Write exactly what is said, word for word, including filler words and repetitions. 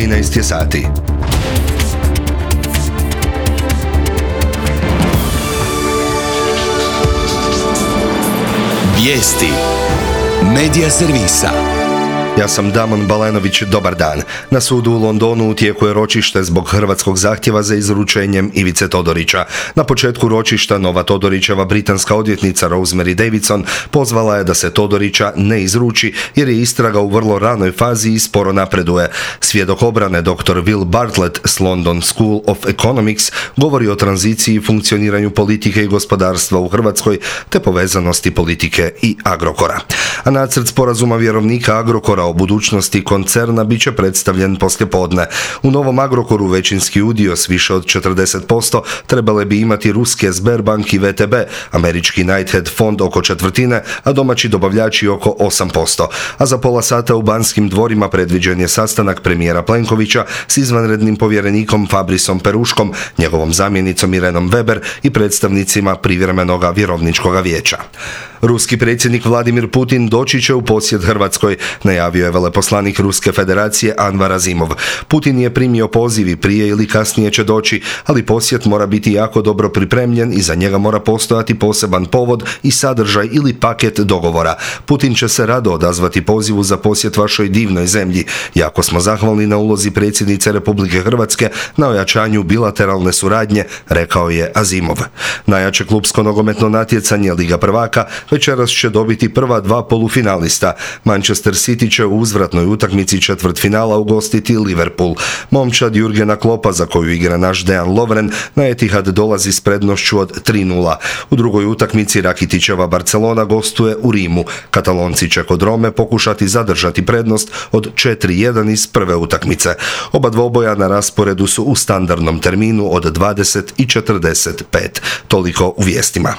trinaest je sati. Vijesti Medija servisa. Ja sam Damon Balenović, dobar dan. Na sudu u Londonu u tijeku je ročište zbog hrvatskog zahtjeva za izručenjem Ivice Todorića. Na početku ročišta nova Todorićeva britanska odvjetnica Rosemary Davidson pozvala je da se Todorića ne izruči jer je istraga u vrlo ranoj fazi i sporo napreduje. Svjedok obrane doktor Will Bartlett s London School of Economics govori o tranziciji i funkcioniranju politike i gospodarstva u Hrvatskoj te povezanosti politike i Agrokora. A nacrt sporazuma vjerovnika Agrokora o budućnosti koncerna bit će predstavljen poslijepodne. U novom Agrokoru većinski udio s više od četrdeset posto trebale bi imati ruske Sberbank i V T B, američki Knighthead fond oko četvrtine, a domaći dobavljači oko osam posto. A za pola sata u Banskim dvorima predviđen je sastanak premijera Plenkovića s izvanrednim povjerenikom Fabrisom Peruškom, njegovom zamjenicom Irenom Weber i predstavnicima privremenoga vjerovničkoga vijeća. Ruski predsjednik Vladimir Putin doći će u posjet Hrvatskoj, najavio je veleposlanik Ruske federacije Anvar Azimov. Putin je primio poziv i prije ili kasnije će doći, ali posjet mora biti jako dobro pripremljen i za njega mora postojati poseban povod i sadržaj ili paket dogovora. Putin će se rado odazvati pozivu za posjet vašoj divnoj zemlji. Jako smo zahvalni na ulozi predsjednice Republike Hrvatske na ojačanju bilateralne suradnje, rekao je Azimov. Najjače klupsko nogometno natjecanje Liga prvaka večeras će dobiti prva dva polufinalista. Manchester City će u uzvratnoj utakmici četvrtfinala ugostiti Liverpool. Momčad Jurgena Kloppa, za koju igra naš Dejan Lovren, na Etihad dolazi s prednošću od tri nula. U drugoj utakmici Rakitićeva Barcelona gostuje u Rimu. Katalonci će kod Rome pokušati zadržati prednost od četiri jedan iz prve utakmice. Oba dvoboja na rasporedu su u standardnom terminu od dvadeset i četrdeset pet. Toliko u vijestima.